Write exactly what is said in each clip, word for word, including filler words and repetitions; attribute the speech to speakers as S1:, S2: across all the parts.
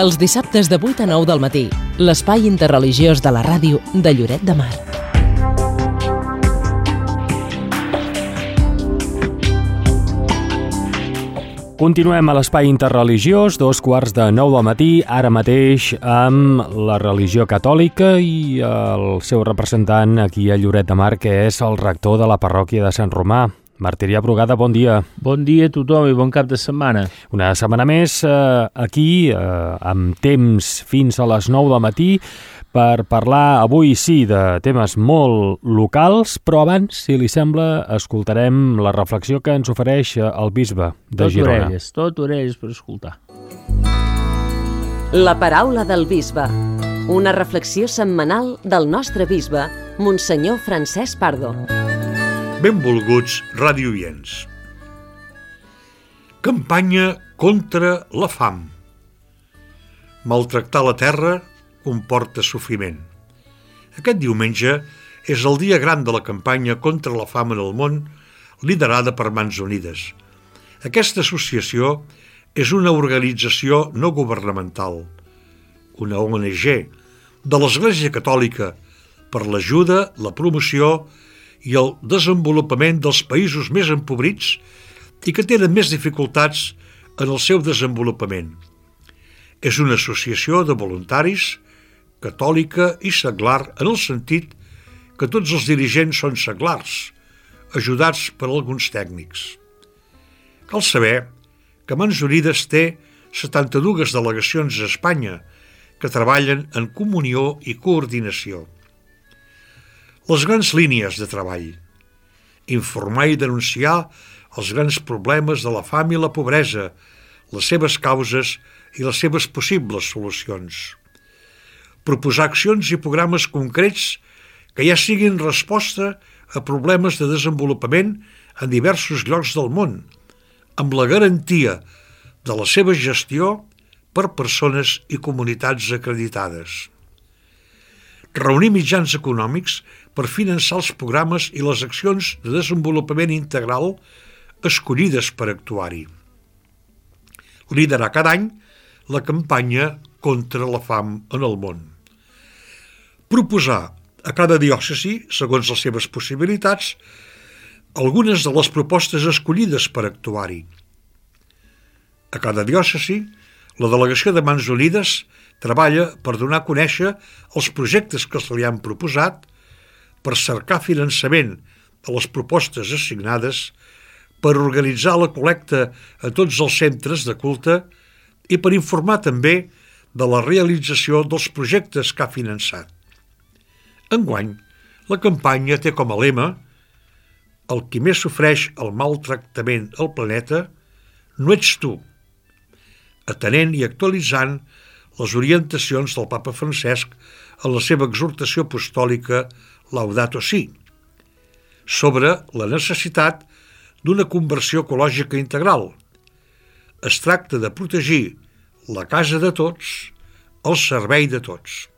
S1: Els dissabtes de vuit a nou del matí, l'espai interreligiós de la ràdio de Lloret de Mar.
S2: Continuem a l'espai interreligiós, dos quarts de nou del matí, ara mateix amb la religió catòlica i el seu representant aquí a Lloret de Mar, que és el rector de la parròquia de Sant Romà. Martirià Brugada, bon dia.
S3: Bon dia a tothom i bon cap de setmana.
S2: Una setmana més eh, aquí, eh, amb temps fins a les nou del matí, per parlar avui sí de temes molt locals, però abans, si li sembla, escoltarem la reflexió que ens ofereix el bisbe de
S3: tot
S2: Girona.
S3: Orelles, tot orelles per escoltar.
S4: La paraula del bisbe, una reflexió setmanal del nostre bisbe, Monsenyor Francesc Pardo.
S5: Benvolguts radioients. Campanya contra la fam. Maltractar la terra comporta sofriment. Aquest diumenge és el dia gran de la campanya contra la fam en el món, liderada per Mans Unides. Aquesta associació és una organització no governamental, una O N G de l'Església Catòlica per l'ajuda, la promoció i el desenvolupament dels països més empobrits i que tenen més dificultats en el seu desenvolupament. És una associació de voluntaris, catòlica i seglar en el sentit que tots els dirigents són seglars, ajudats per alguns tècnics. Cal saber que Mans Unides té setanta-dues delegacions a Espanya que treballen en comunió i coordinació. Les grans línies de treball: informar i denunciar els grans problemes de la fam i la pobresa, les seves causes i les seves possibles solucions. Proposar accions i programes concrets que ja siguin resposta a problemes de desenvolupament en diversos llocs del món, amb la garantia de la seva gestió per persones i comunitats acreditades. Reunir mitjans econòmics per finançar els programes i les accions de desenvolupament integral escollides per actuar-hi. Liderar cada any la campanya contra la fam en el món. Proposar a cada diòcesi, segons les seves possibilitats, algunes de les propostes escollides per actuar-hi. A cada diòcesi, la delegació de Mans Unides treballa per donar a conèixer els projectes que se li han proposat, per cercar finançament a les propostes assignades, per organitzar la col·lecta a tots els centres de culte i per informar també de la realització dels projectes que ha finançat. Enguany, la campanya té com a lema: el qui més sofreix el maltractament al planeta no ets tu, atenent i actualitzant les orientacions del Papa Francesc en la seva exhortació apostòlica Laudato Si, sobre la necessitat d'una conversió ecològica integral. Es tracta de protegir la casa de tots al servei de tots.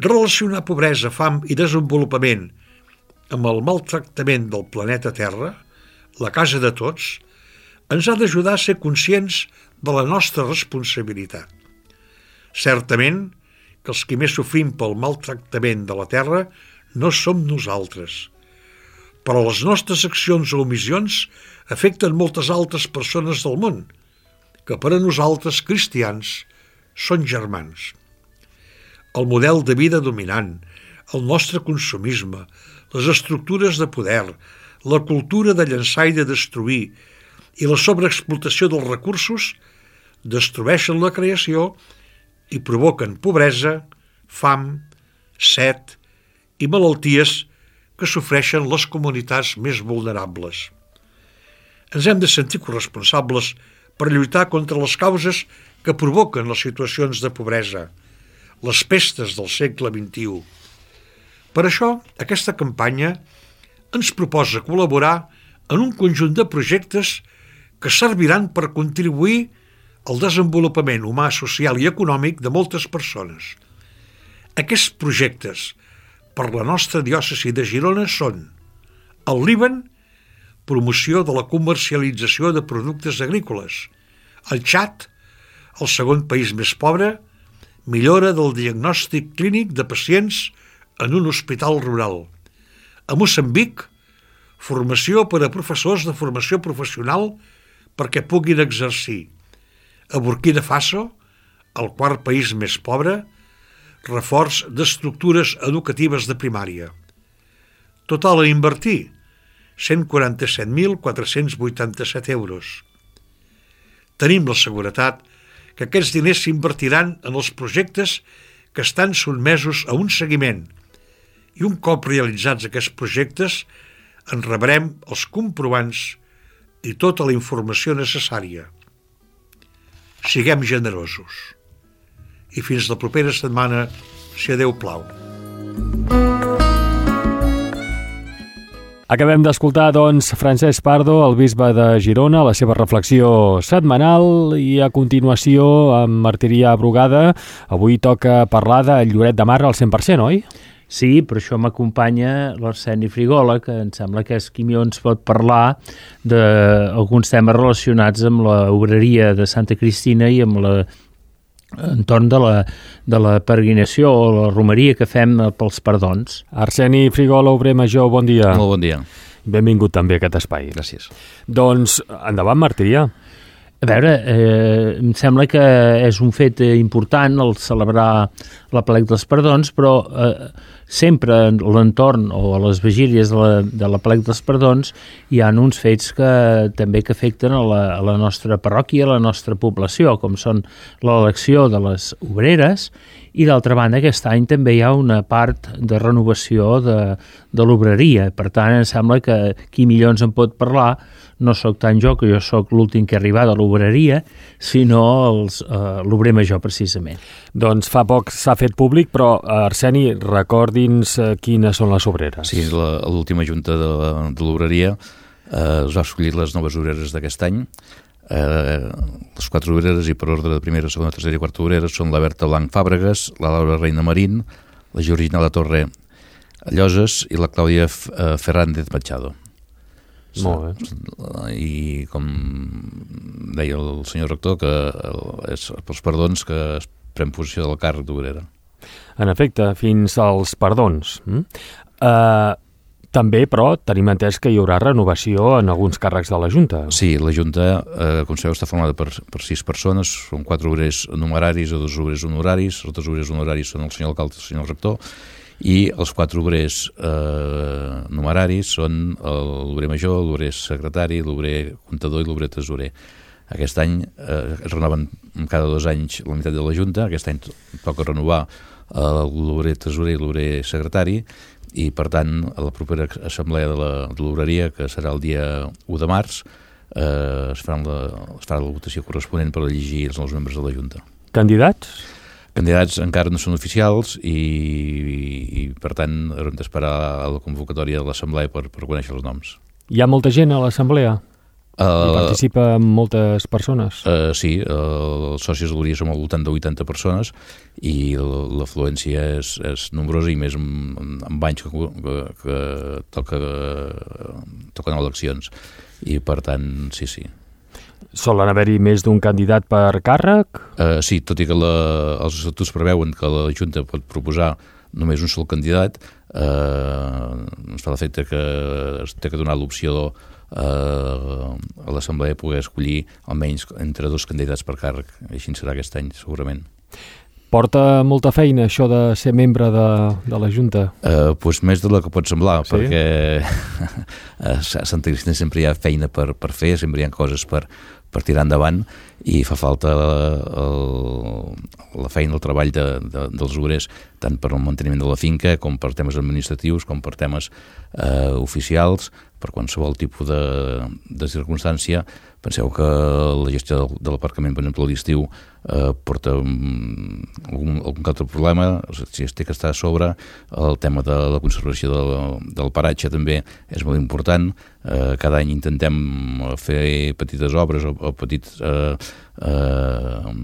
S5: Relacionar pobresa, fam i desenvolupament amb el maltractament del planeta Terra, la casa de tots, ens ha d'ajudar a ser conscients de la nostra responsabilitat. Certament que els qui més sofrim pel maltractament de la terra no som nosaltres, però les nostres accions o omissions afecten moltes altres persones del món, que per a nosaltres, cristians, són germans. El model de vida dominant, el nostre consumisme, les estructures de poder, la cultura de llançar i de destruir i la sobreexplotació dels recursos destrueixen la creació i provoquen pobresa, fam, set i malalties que sofreixen les comunitats més vulnerables. Ens hem de sentir corresponsables per lluitar contra les causes que provoquen les situacions de pobresa, les pestes del segle vint-i-u. Per això, aquesta campanya ens proposa col·laborar en un conjunt de projectes que serviran per contribuir al desenvolupament humà, social i econòmic de moltes persones. Aquests projectes per la nostra diòcesi de Girona són el Líban, promoció de la comercialització de productes agrícoles, el Txad, El segon país més pobre, millora del diagnòstic clínic de pacients en un hospital rural. A Moçambic, formació per a professors de formació professional perquè puguin exercir. A Burkina Faso, el quart país més pobre, reforç d'estructures educatives de primària. Total a invertir, cent quaranta-set mil quatre-cents vuitanta-set euros. Tenim la seguretat que aquests diners s'invertiran en els projectes que estan sotmesos a un seguiment i un cop realitzats aquests projectes en rebrem els comprovants i tota la informació necessària. Siguem generosos. I fins la propera setmana, si a Déu plau.
S2: Acabem d'escoltar, doncs, Francesc Pardo, el bisbe de Girona, la seva reflexió setmanal, i a continuació, amb Martirià Brugada, avui toca parlar de Lloret de Mar al cent per cent, oi?
S3: Sí, per això m'acompanya l'Arseni Frigola, que em sembla que és qui millor ens pot parlar d'alguns temes relacionats amb la obreria de Santa Cristina i amb la entorn de la, de la peregrinació o la romeria que fem pels perdons.
S2: Arseni Frigola, obrer major, bon dia.
S6: Molt bon dia.
S2: Benvingut també a aquest espai.
S6: Gràcies.
S2: Doncs, endavant, Martirià.
S3: A veure, eh, em sembla que és un fet important el celebrar la plec dels perdons, però eh, sempre a l'entorn o a les vigílies de la, de la plec dels perdons hi ha uns fets que també que afecten a la, a la nostra parròquia, a la nostra població, com són l'elecció de les obreres, i d'altra banda aquest any també hi ha una part de renovació de, de l'obreria. Per tant, em sembla que qui millor ens en pot parlar no sóc tant jo, que jo sóc l'últim que ha arribat a l'obreria, sinó els, eh, l'obrer major, precisament.
S2: Doncs fa poc s'ha fet públic, però, Arseni, recordi'ns eh, quines són les obreres.
S6: Sí, la, l'última junta de, de l'obreria eh, es va escollir les noves obreres d'aquest any. Eh, les quatre obreres, i per ordre de primera, segona, tercera i quarta obreres, són la Berta Blanc Fàbregas, la Laura Reina Marín, la Georgina La Torre Lloses i la Clàudia Fernández Machado.
S2: Molt bé.
S6: I com deia el senyor rector, que és pels perdons que es pren posició del càrrec d'obrera.
S2: En efecte, fins als perdons. Mm? Uh, també, però, tenim entès que hi haurà renovació en alguns càrrecs de la Junta.
S6: Sí, la Junta, eh, com sabeu, està formada per, per sis persones, són quatre obrers numeraris i dos obrers honoraris. Els dos obrers honoraris són el senyor alcalde i el senyor rector, i els quatre obrers eh, numeraris són l'obrer major, l'obrer secretari, l'obrer comptador i l'obrer tresorer. Aquest any eh, es renoven cada dos anys la meitat de la Junta. Aquest any toca renovar eh, l'obrer tresorer i l'obrer secretari, i per tant a la propera assemblea de, la, de l'obreria, que serà el dia u de març, eh, es, farà la, es farà la votació corresponent per elegir els nous membres de la Junta.
S2: Candidats?
S6: Candidats encara no són oficials i, i per tant haurem d'esperar a la convocatòria de l'assemblea per, per conèixer els noms.
S2: Hi ha molta gent a l'assemblea?
S6: Uh,
S2: Hi participa moltes persones?
S6: Uh, sí, uh, els socis de l'Obreria som al voltant de vuitanta persones i l'afluència és, és nombrosa, i més amb, amb anys que, que, que toca, toquen eleccions, i per tant, sí, sí.
S2: Solen haver-hi més d'un candidat per càrrec?
S6: Uh, sí, tot i que la, els estatuts preveuen que la Junta pot proposar només un sol candidat, eh, ens fa l'efecte que es té que donar l'opció eh, a l'Assemblea poder escollir almenys entre dos candidats per càrrec. Així serà aquest any, segurament.
S2: Porta molta feina, això de ser membre de, de la Junta?
S6: Eh, pues més de la que pot semblar,
S2: sí?
S6: Perquè a Santa Cristina sempre hi ha feina per, per fer, sempre hi ha coses per, per tirar endavant, i fa falta el, la feina, el treball de, de, dels obrers, tant per al manteniment de la finca, com per temes administratius, com per temes eh, oficials, per qualsevol tipus de, de circumstància. Penseu que la gestió del, de l'aparcament, per exemple, a l'estiu, eh, porta um, algun, algun altre problema, si es té que estar a sobre. El tema de la conservació del, del paratge també és molt important. Eh, cada any intentem fer petites obres o, o petits eh, eh,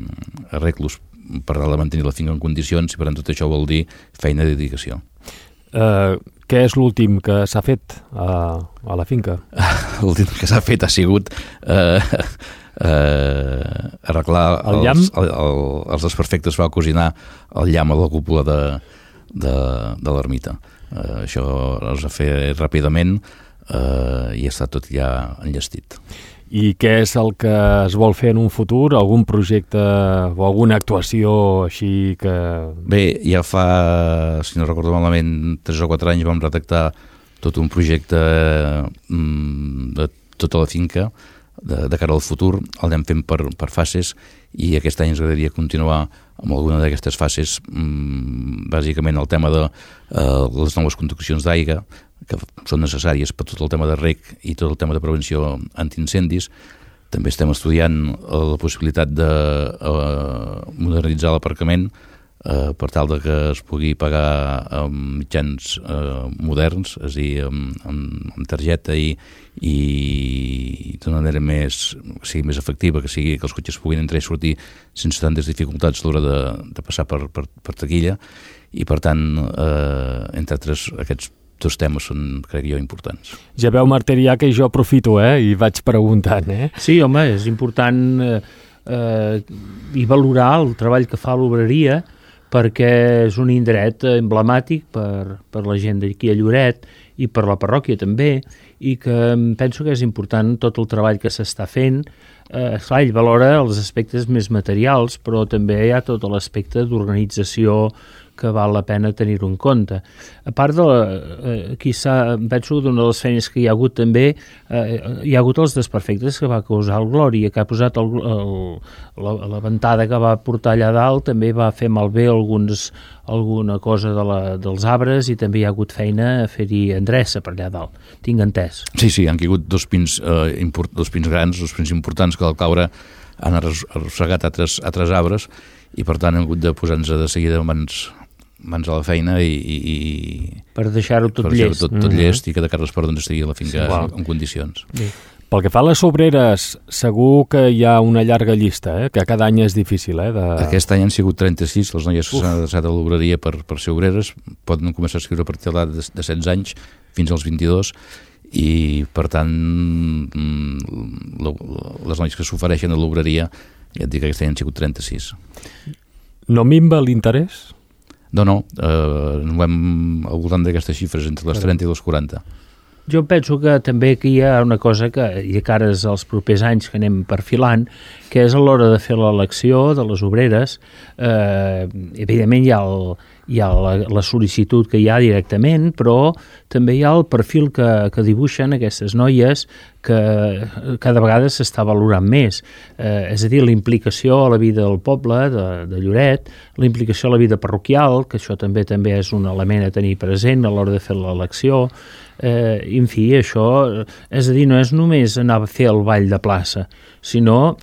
S6: arreglos per mantenir la finca en condicions, i per tant tot això vol dir feina i dedicació.
S2: Uh, què és l'últim que s'ha fet a, a la finca?
S6: L'últim que s'ha fet ha sigut eh, eh, arreglar
S2: el llamp?
S6: Els, el, el, els desperfectes, va cosinar el llamp a la cúpula de, de, de l'ermita. Eh, això es va fer ràpidament eh, i està tot ja enllestit.
S2: I què és el que es vol fer en un futur? Algun projecte o alguna actuació així que...
S6: Bé, ja fa, si no recordo malament, tres o quatre anys vam redactar tot un projecte mm, de tota la finca de, de cara al futur. El anem fent per, per fases i aquest any ens agradaria continuar amb alguna d'aquestes fases, mm, bàsicament el tema de eh, les noves conduccions d'aigua, que són necessàries per tot el tema de reg i tot el tema de prevenció antiincendis. També estem estudiant la possibilitat de eh, modernitzar l'aparcament eh, per tal de que es pugui pagar amb mitjans eh, moderns, és a dir, amb, amb, amb targeta i, i d'una manera més, que sigui més efectiva, que sigui que els cotxes puguin entrar i sortir sense tantes dificultats a l'hora de, de passar per, per, per taquilla i, per tant, eh, entre altres, aquests dos temes són, crec jo, importants.
S2: Ja veu, Martirià, que jo aprofito, eh, i vaig preguntant, eh?
S3: Sí, home, és important eh, eh, i valorar el treball que fa l'obreria, perquè és un indret emblemàtic per, per la gent d'aquí a Lloret i per la parròquia també, i que penso que és important tot el treball que s'està fent. Eh, esclar, ell valora els aspectes més materials, però també hi ha tot l'aspecte d'organització que val la pena tenir-ho en compte. A part de, eh, aquí s'ha, penso que una de les feines que hi ha hagut també, eh, hi ha hagut els desperfectes que va causar el Glòria, que ha posat el, el, la, la ventada que va portar allà dalt, també va fer malbé alguns, alguna cosa de la, dels arbres i també hi ha hagut feina a fer-hi endreça per allà dalt, tinc entès.
S6: Sí, sí, han caigut dos pins, eh, import, dos pins grans, dos pins importants que al caure han arrossegat altres, altres arbres i per tant hem hagut de posar-nos de seguida mans, mans a la feina i... i, i
S3: per deixar-ho tot
S6: per deixar
S3: llest.
S6: tot, tot mm-hmm. llest i que de cara a l'esport doncs, estigui a la finca
S2: sí,
S6: en, en condicions.
S3: Sí.
S2: Pel que fa a les obreres, segur que hi ha una llarga llista, eh? Que cada any és difícil. Eh? De...
S6: Aquest any han sigut trenta-sis, les noies que s'han adreçat a l'obreria per, per ser obreres, poden començar a escriure a partir de, de, de setze anys fins als vint-i-dos, i per tant les noies que s'ofereixen a l'obreria, ja et dic que aquest any han sigut trenta-sis.
S2: No minva l'interès?
S6: No, no, eh, no hem al voltant d'aquestes xifres, entre les trenta i les quaranta.
S3: Jo penso que també que hi ha una cosa que, i de cares als propers anys que anem perfilant, que és a l'hora de fer l'elecció de les obreres, eh, evidentment hi ha, el, hi ha la, la sol·licitud que hi ha directament, però també hi ha el perfil que, que dibuixen aquestes noies que cada vegada s'està valorant més. Eh, és a dir, la implicació a la vida del poble, de, de Lloret, la implicació a la vida parroquial, que això també també és un element a tenir present a l'hora de fer l'elecció. Eh, en fi, això, és a dir, no és només anar a fer el ball de plaça, sinó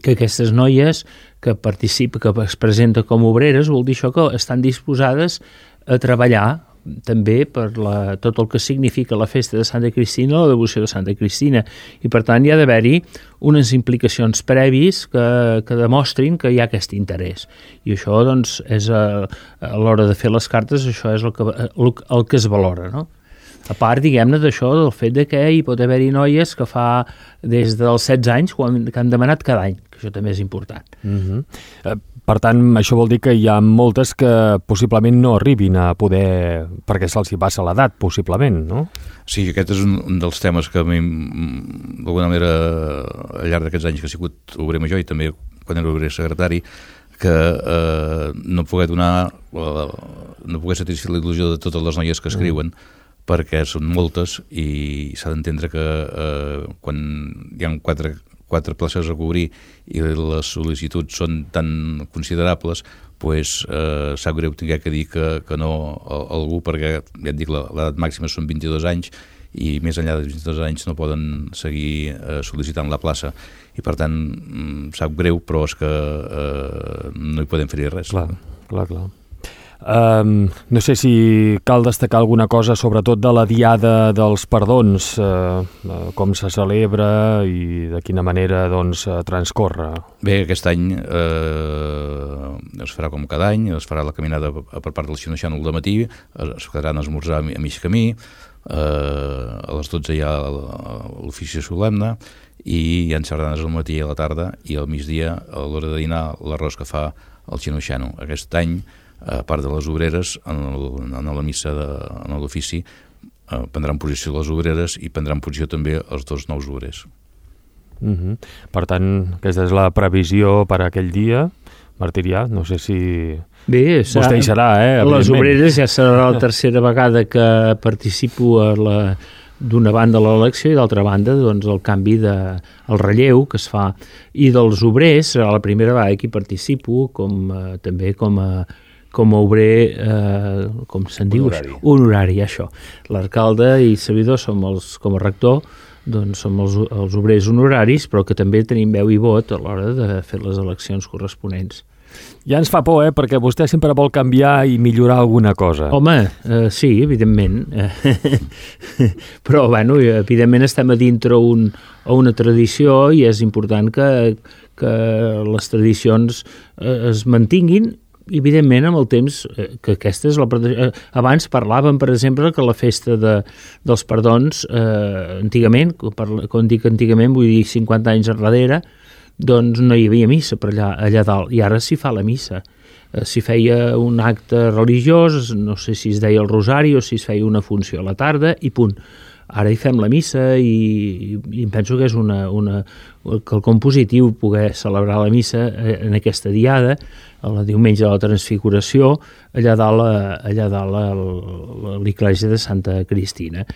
S3: que aquestes noies que participen, que es presenten com obreres, vol dir això que estan disposades a treballar també per la, tot el que significa la festa de Santa Cristina, la devoció de Santa Cristina, i per tant hi ha d'haver-hi unes implicacions previs que, que demostrin que hi ha aquest interès. I això, doncs, és a, a l'hora de fer les cartes, això és el que, el, el que es valora, no? A part, diguem-ne, d'això, del fet de que hi pot haver-hi noies que fa des dels setze anys que han demanat cada any, que això també és important.
S2: Uh-huh. eh, per tant, això vol dir que hi ha moltes que possiblement no arribin a poder, perquè se'ls hi passa l'edat, possiblement, no?
S6: Sí, aquest és un, un dels temes que a mi, d'alguna manera, al llarg d'aquests anys que he sigut obrer major i també quan era obrer secretari, que eh, no poder donar, eh, no poder satisfer la il·lusió de totes les noies que escriuen, uh-huh. perquè són moltes i s'ha d'entendre que eh, quan hi ha quatre, quatre places a cobrir i les sol·licituds són tan considerables, pues, eh, sap greu tinguer que dir que, que no a, a algú, perquè ja et dic, l'edat màxima són vint-i-dos anys i més enllà de vint-i-dos anys no poden seguir eh, sol·licitant la plaça i per tant sap greu, però és que eh, no hi podem fer res.
S2: Clar, clar, clar. Um, no sé si cal destacar alguna cosa, sobretot de la Diada dels Perdons, uh, uh, com se celebra i de quina manera doncs, uh, transcorre.
S6: Bé, aquest any eh, es farà com cada any, es farà la caminada per part del Xino-Xano al matí, es quedaran a esmorzar a mig camí, eh, a les dotze hi ha l'ofici solemne i hi ha sardanes al matí i a la tarda, i al migdia, a l'hora de dinar, l'arròs que fa el Xino-Xano. Aquest any, a part de les obreres, en, el, en la missa, de, en l'ofici, eh, prendran posició les obreres i prendran posició també els dos nous obrers.
S2: Uh-huh. Per tant, aquesta és la previsió per a aquell dia, Martirià, no sé si...
S3: Bé, serà,
S2: vostè hi serà, eh?
S3: Les obreres ja serà la tercera vegada que participo a la... d'una banda l'elecció i d'altra banda doncs, el canvi de, el relleu que es fa, i dels obrers serà la primera vegada que hi participo com, eh, també com a, com a obrer, eh, com se'n diu?
S6: Honorari.
S3: Honorari, això. L'alcalde i servidor som els, com a rector, doncs som els, els obrers honoraris, però que també tenim veu i vot a l'hora de fer les eleccions corresponents.
S2: Ja ens fa por, eh? Perquè vostè sempre vol canviar i millorar alguna cosa.
S3: Home, eh, sí, evidentment. Però, bueno, evidentment estem a dintre un, a una tradició i és important que, que les tradicions eh, es mantinguin, evidentment, amb el temps, eh, que aquesta és la... Eh, abans parlàvem, per exemple, que la festa de, dels perdons, eh, antigament, quan dic antigament vull dir cinquanta anys enrere, doncs no hi havia missa per allà, allà dalt, i ara s'hi fa la missa. Eh, s'hi feia un acte religiós, no sé si es deia el rosari o si es feia una funció a la tarda, i punt. Ara hi fem la missa i, i penso que és una, una, quelcom positiu poder celebrar la missa en aquesta diada, el diumenge de la Transfiguració, allà dalt, allà dalt a l'església de Santa Cristina.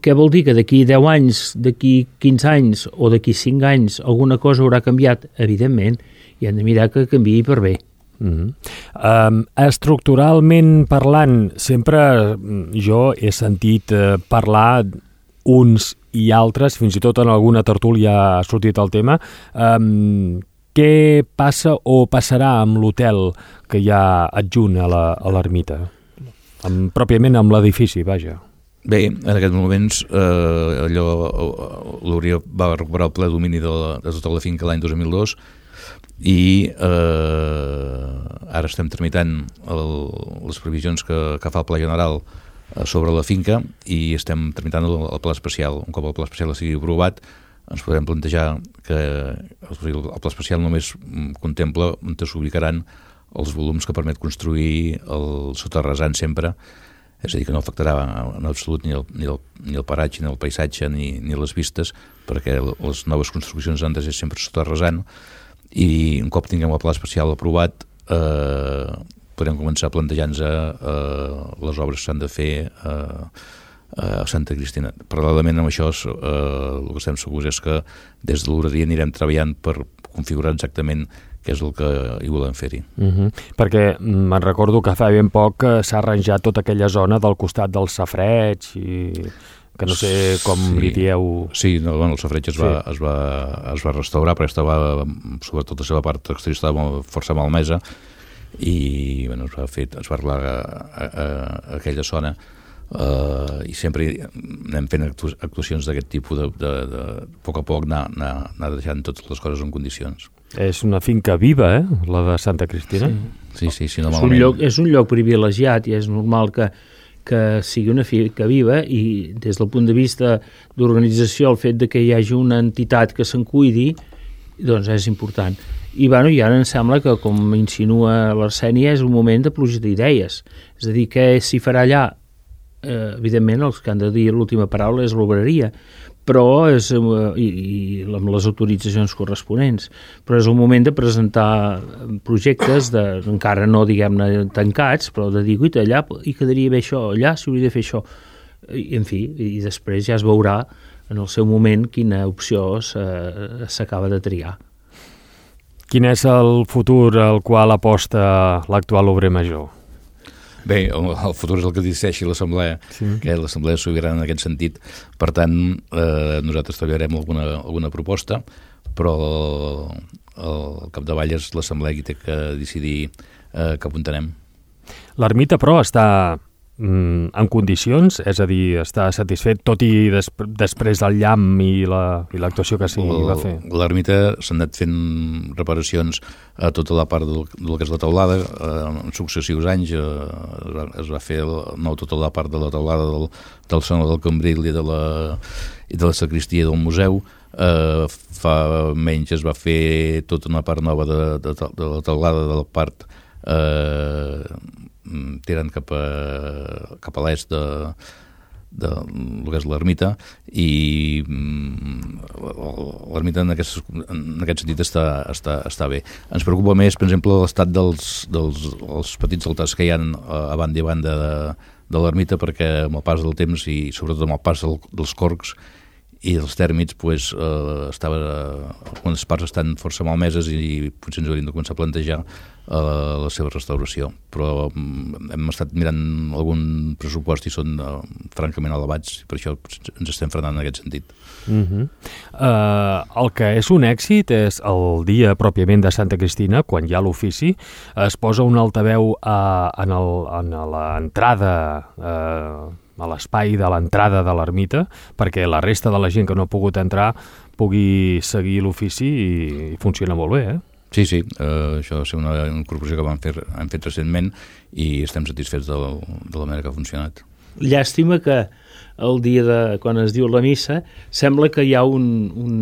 S3: Què vol dir? Que d'aquí deu anys, d'aquí quinze anys o d'aquí cinc anys alguna cosa haurà canviat? Evidentment, i hem de mirar que canviï per bé.
S2: Mm-hmm. Um, estructuralment parlant, sempre jo he sentit uh, parlar uns i altres, fins i tot en alguna tertúlia ha sortit el tema. Um, què passa o passarà amb l'hotel que hi ha adjunt a l'ermita? Amb, pròpiament amb l'edifici, vaja.
S6: Bé, en aquests moments eh, allò l'Hauria va recuperar el ple domini de, la, de tota la finca l'any dos mil dos i eh, ara estem tramitant el, les previsions que, que fa el Pla General eh, sobre la finca i estem tramitant el, el Pla Especial. Un cop el Pla Especial sigui aprovat, ens podem plantejar que el, el Pla Especial només contempla on s'ubicaran els volums que permet construir el soterrasant sempre. És a dir, que no afectarà en absolut ni el, ni el, ni el paratge, ni el paisatge, ni, ni les vistes, perquè les noves construccions han de ser sempre soterrasant, i un cop tinguem el pla especial aprovat, eh, podrem començar a plantejar-nos eh, les obres que s'han de fer eh, a Santa Cristina. Paral·lelament amb això, eh, el que estem segurs és que des de l'Horaria anirem treballant per configurar exactament què és el que hi volem fer-hi.
S2: Uh-huh. Perquè me'n recordo que fa ben poc que s'ha arranjat tota aquella zona del costat del safareig i que no sé com sí. li dieu...
S6: Sí, no, bueno, el safareig es, sí. va, es, va, es va restaurar, però estava, sobretot la seva part exterior estava força malmesa i bueno, es va fer, es va arreglar a, a, a aquella zona. Uh, i sempre anem fent actu actuacions d'aquest tipus de, de, de, de poc a poc anar, anar, anar deixant totes les coses en condicions.
S2: És una finca viva, eh? La de Santa Cristina.
S6: Sí, sí, sí, sí no
S3: és, un lloc, és un lloc privilegiat i és normal que, que sigui una finca viva i des del punt de vista d'organització el fet de que hi hagi una entitat que se'n cuidi doncs és important. I, bueno, i ara em sembla que, com insinua l'Arsènia, és un moment de pluja d'idees. És a dir, què s'hi farà allà? Eh, evidentment els que han de dir l'última paraula és l'obreria, però és, eh, i, i amb les autoritzacions corresponents, però és un moment de presentar projectes de, encara no diguem-ne tancats, però de dir, guita, allà hi quedaria bé això, allà s'hauria de fer això, i, en fi, i després ja es veurà en el seu moment quina opció s'acaba de triar.
S2: Quin és el futur al qual aposta l'actual obrer major?
S6: Bé, el, el futur és el que decideixi l'Assemblea, sí. que l'Assemblea és sobirana en aquest sentit. Per tant, eh, nosaltres treballarem alguna, alguna proposta, però el capdavall és l'Assemblea qui té que decidir eh, cap on anem.
S2: L'ermita, però, està mm, en condicions, és a dir, està satisfet, tot i des, després del llamp i l'actuació la, que s'hi va fer.
S6: L'ermita s'han anat fent reparacions a tota la part del, del que és la teulada, eh, en successius anys eh, es, va, es va fer el, nou tota la part de la teulada del, del saló del Cambril i de la, i de la sacristia del museu. Uh, fa menys es va fer tota una part nova de, de, de la teulada de la part uh, tirant cap a, cap a l'est de, de lo que és l'ermita, i um, l'ermita en aquest, en aquest sentit està, està, està bé. Ens preocupa més, per exemple, l'estat dels, dels els petits altars que hi ha a banda i banda de, de l'ermita, perquè amb el pas del temps i sobretot amb el pas del, dels corcs i els tèrmits, pues, eh, estava, algunes parts estan força malmeses i potser ens hauríem de començar a plantejar eh, la seva restauració. Però mm, hem estat mirant algun pressupost i són eh, francament elevats, i per això ens estem frenant en aquest sentit.
S2: Uh-huh. Uh, el que és un èxit és el dia pròpiament de Santa Cristina, quan hi ha l'ofici, es posa un altaveu uh, en, el, en l'entrada uh, a l'espai de l'entrada de l'ermita, perquè la resta de la gent que no ha pogut entrar pugui seguir l'ofici i, i funciona molt bé, eh?
S6: Sí, sí, uh, això va ser una incorporació que vam fer, hem fet recentment i estem satisfets de la, de la manera que ha funcionat.
S3: Llàstima que el dia de, quan es diu la missa, sembla que hi ha un, un,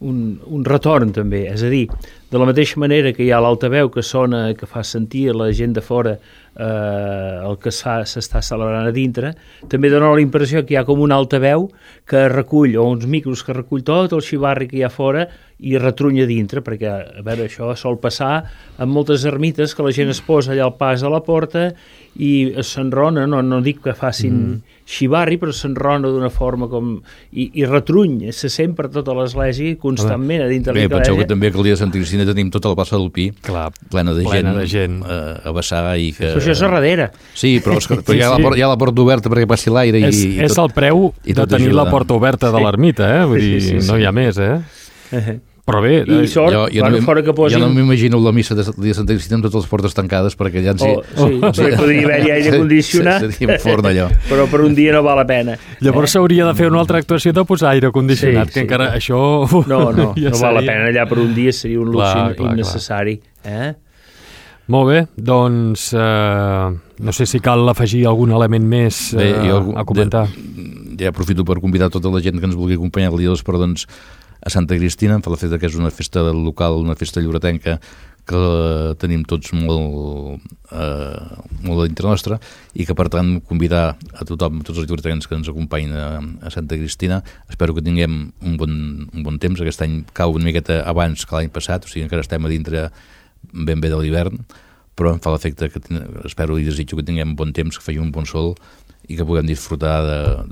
S3: un, un retorn també, és a dir, de la mateixa manera que hi ha l'altaveu que sona, que fa sentir la gent de fora eh, el que s'està celebrant a dintre, també dona la impressió que hi ha com un altaveu que recull, o uns micros que recull tot el xivarri que hi ha fora i retrunya dintre, perquè, a veure, això sol passar en moltes ermites, que la gent es posa allà al pas de la porta i s'enrona, no, no dic que facin mm. xivarri, però s'enrona d'una forma com... I, i retruny, se sent per tota l'església constantment a dintre de l'església.
S6: Bé, penseu que també que el dia de Santa Cristina tenim tota la plaça del Pi, clar, plena de
S2: plena
S6: gent,
S2: de gent.
S6: Eh, a vessar i que...
S3: Però això és a darrere.
S6: Sí, però, però sí, hi, ha sí. La, hi ha la porta oberta perquè passi l'aire i,
S2: és,
S6: i
S2: és
S6: tot,
S2: el preu de tenir ajuda. La porta oberta de l'ermita, eh? Vull dir, sí, sí, sí. No hi ha més, eh? Uh-huh. Però bé...
S3: I sort, jo, jo bueno, no, fora que posin...
S6: Jo no m'imagino la missa de dia de Santa Cristina amb totes les portes tancades, perquè allà en si...
S3: Oh, sí, oh, sí. Podria haver-hi aire condicionat,
S6: seria forn allò.
S3: Però per un dia no val la pena.
S2: Llavors s'hauria de fer una altra actuació de posar aire condicionat, sí, que sí. Encara això...
S3: No, no, ja no val la pena, allà per un dia seria un luxe clar, clar, innecessari. Eh?
S2: Molt bé, doncs eh, no sé si cal afegir algun element més eh, bé, jo, a comentar.
S6: De, ja aprofito per convidar tota la gent que ens vulgui acompanyar el dia dels perdons a Santa Cristina, em fa la feta que és una festa local, una festa lloretenca que tenim tots molt, eh, molt a dintre nostra i que per tant convidar a tothom, tots els lloretencs que ens acompanyin a, a Santa Cristina. Espero que tinguem un bon, un bon temps. Aquest any cau una miqueta abans que l'any passat, o sigui encara estem a dintre ben bé de l'hivern, però em fa l'efecte que ten... espero i desitjo que tinguem bon temps, que faci un bon sol i que puguem disfrutar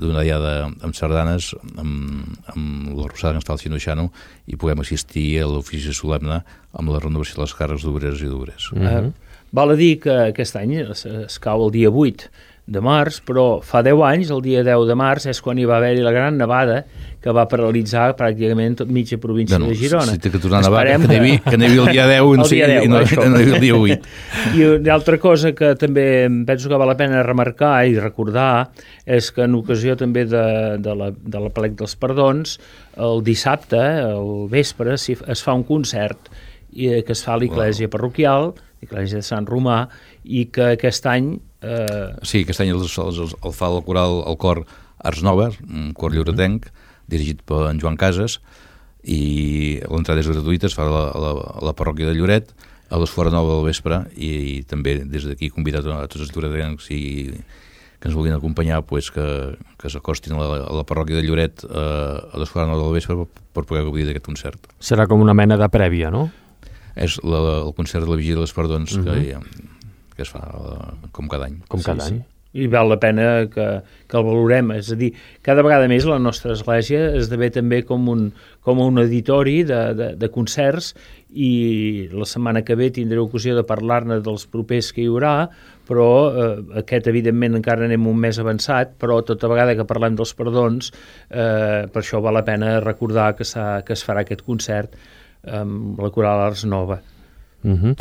S6: d'una diada amb sardanes, amb, amb la rosada que ens fa el Xino i puguem assistir a l'ofici solemne amb la renovació de les càrrecs d'obreres i d'obrers.
S3: Mm-hmm. uh, val a dir que aquest any es, es cau el dia vuit de març, però fa deu anys, el dia deu de març, és quan hi va haver-hi la gran nevada que va paralitzar pràcticament tot mitja província bueno, de Girona.
S6: Si té que tornar a nevar, que n'hi que havia el dia deu, el dia deu i no, no hi havia el dia vuit.
S3: I una altra cosa que també penso que val la pena remarcar i recordar és que en ocasió també de, de, la, de la plec dels perdons, el dissabte, al vespre, es fa un concert que es fa a l'església parroquial, l'església de Sant Romà, i que aquest any... Eh...
S6: Sí, aquest any el, el, el fa el coral, el cor Ars Nova, un cor lloretenc, dirigit per en Joan Casas, i l'entrada és gratuïta, es fa a la, a la, a la parròquia de Lloret, a les fora nova del vespre, i, i també des d'aquí convidat a, a tots els lloretencs i que ens vulguin acompanyar, pues, que, que s'acostin a la, a la parròquia de Lloret eh, a les fora nova del vespre per, per poder gaudir d'aquest concert.
S2: Serà com una mena de prèvia, no?
S6: És la, el concert de la Vigília dels Perdons uh-huh. que, que es fa com cada any.
S2: Com cada sí, any.
S3: Sí. I val la pena que, que el valorem. És a dir, cada vegada més la nostra església esdevé també com un, com un auditori de, de, de concerts i la setmana que ve tindré ocasió de parlar-ne dels propers que hi haurà, però eh, aquest evidentment encara anem un mes avançat, però tota vegada que parlem dels perdons, eh, per això val la pena recordar que, que es farà aquest concert amb la coral Ars Nova.
S2: Uh-huh.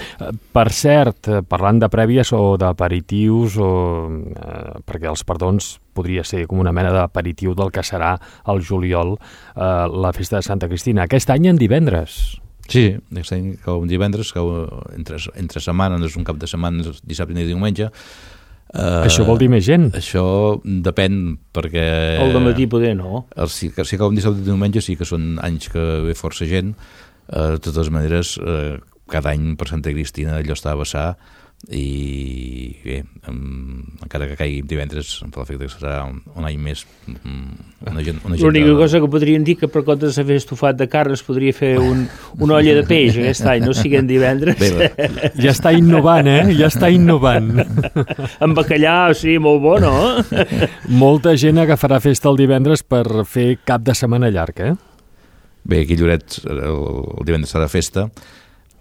S2: Per cert, parlant de prèvies o d'aperitius, o, eh, perquè els perdons podria ser com una mena d'aperitiu del que serà el juliol, eh, la festa de Santa Cristina. Aquest any en divendres.
S6: Sí, aquest any cau un divendres, cau entre, entre setmanes, un cap de setmana, dissabte i diumenge. Uh,
S2: això vol dir més gent?
S6: Això depèn, perquè...
S3: El dematí poder no.
S6: El, si, si cau un dissabte i diumenge sí que són anys que ve força gent. Uh, de totes maneres... Uh, cada any per Santa Cristina allò està a vessar i bé, um, encara que caigui divendres em fa l'efecte que serà un, un any més una gent, una gent
S3: l'única
S6: de...
S3: cosa que podríem dir que per compte de fer estofat de carn es podria fer un, una olla de peix aquest any, no siguin divendres.
S6: Bé,
S2: ja està innovant, eh? Ja està innovant.
S3: Amb bacallà, o sigui, molt bo, no?
S2: Molta gent agafarà festa el divendres per fer cap de setmana llarg, eh?
S6: Bé, aquí a Lloret el, el divendres serà festa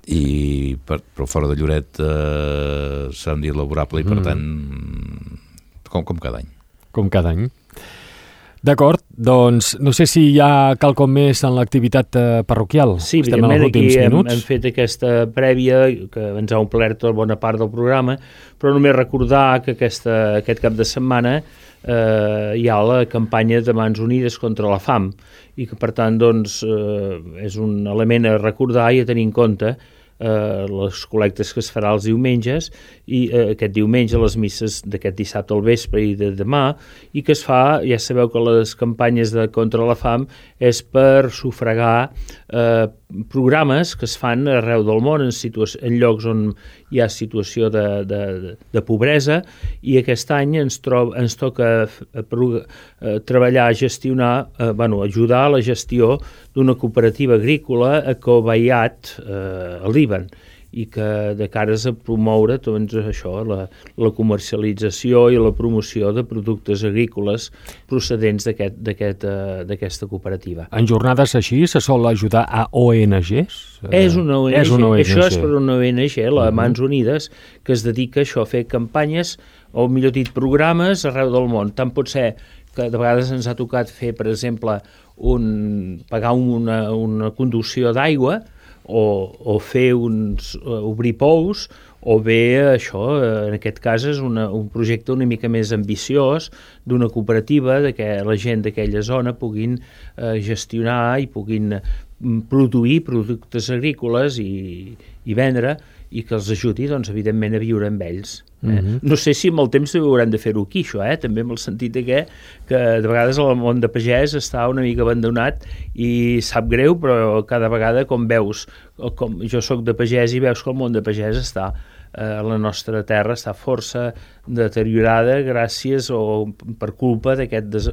S6: i per, però fora de Lloret eh, serà un dia laborable i per mm. tant com, com cada any
S2: com cada any. D'acord, doncs no sé si hi ha quelcom més en l'activitat eh, parroquial.
S3: Sí,
S2: estem en els últims
S3: hem,
S2: minuts.
S3: hem fet aquesta prèvia que ens ha omplert tota bona part del programa, però només recordar que aquesta, aquest cap de setmana eh, hi ha la campanya de Mans Unides contra la fam i que per tant doncs, eh, és un element a recordar i a tenir en compte eh, les col·lectes que es farà els diumenges i eh, aquest diumenge les misses d'aquest dissabte al vespre i de demà i que es fa, ja sabeu que les campanyes de contra la fam és per sufragar eh, programes que es fan arreu del món en, en llocs on hi ha situació de, de, de pobresa i aquest any ens, trob, ens toca a, a, a treballar, a gestionar, a, bueno, ajudar a la gestió d'una cooperativa agrícola a Kobayat, eh, a Líban, i que de cares a promoure doncs, això, la, la comercialització i la promoció de productes agrícoles procedents d'aquest, d'aquest, uh, d'aquesta cooperativa.
S2: En jornades així se sol ajudar a O N Ges?
S3: És una O N G.
S2: És una O N G.
S3: Això és per una O N G, la Mans Unides, que es dedica a això, a fer campanyes, o millor dit, programes arreu del món. Tant pot ser que de vegades ens ha tocat fer, per exemple, un, pagar una, una conducció d'aigua, O, o fer uns, uh, obrir pous, o bé això, en aquest cas és una, un projecte una mica més ambiciós d'una cooperativa de que la gent d'aquella zona puguin uh, gestionar i puguin produir productes agrícoles i, i vendre i que els ajudi, doncs, evidentment, a viure amb ells. Eh? Mm-hmm. No sé si amb el temps hauran de fer-ho aquí, això, eh? També amb el sentit de que, que de vegades el món de pagès està una mica abandonat i sap greu, però cada vegada com veus, com jo sóc de pagès i veus que el món de pagès està eh, la nostra terra està força deteriorada gràcies o per culpa d'aquest des,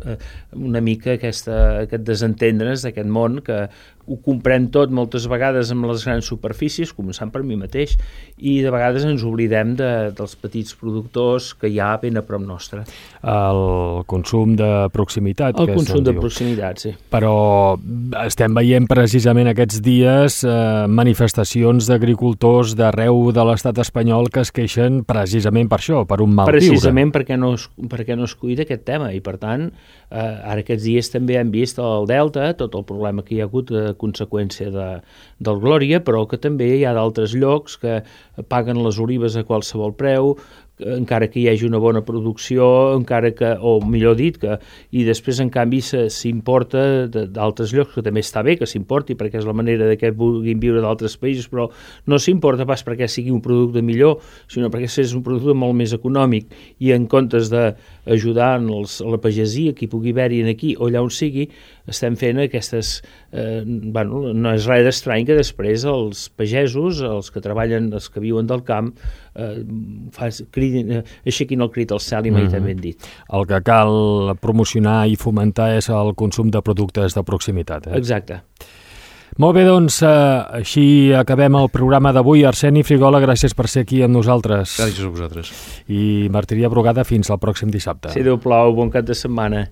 S3: una mica aquesta, aquest desentendre's d'aquest món que ho comprem tot moltes vegades amb les grans superfícies, començant per mi mateix, i de vegades ens oblidem de, dels petits productors que hi ha ben a prop nostre.
S2: El consum de proximitat.
S3: El
S2: que
S3: consum de
S2: diu.
S3: proximitat, sí.
S2: Però estem veient precisament aquests dies eh, manifestacions d'agricultors d'arreu de l'estat espanyol que es queixen precisament per això, per un mal viure.
S3: Precisament perquè no, es, perquè no es cuida aquest tema i per tant eh, ara aquests dies també hem vist al Delta tot el problema que hi ha hagut a conseqüència de, del Glòria, però que també hi ha d'altres llocs que paguen les olives a qualsevol preu, encara que hi hagi una bona producció, encara que, o millor dit, que, i després en canvi s'importa d'altres llocs, que també està bé que s'importi perquè és la manera de que vulguin viure d'altres països, però no s'importa pas perquè sigui un producte millor, sinó perquè és un producte molt més econòmic i en comptes d'ajudar els, a la pagesia, qui pugui haver-hi aquí o allà on sigui, estem fent aquestes... Eh, bueno, no és res d'estrany que després els pagesos, els que treballen, els que viuen del camp, eh, fas, cridin, eh, aixequin el crit al cel i mai mm-hmm. també han dit.
S2: El que cal promocionar i fomentar és el consum de productes de proximitat. Eh?
S3: Exacte.
S2: Molt bé, doncs, eh, així acabem el programa d'avui. Arseni Frigola, gràcies per ser aquí amb nosaltres.
S6: Gràcies a vosaltres.
S2: I Martiria Brugada, fins al pròxim dissabte.
S3: Si Déu plau, bon cap de setmana.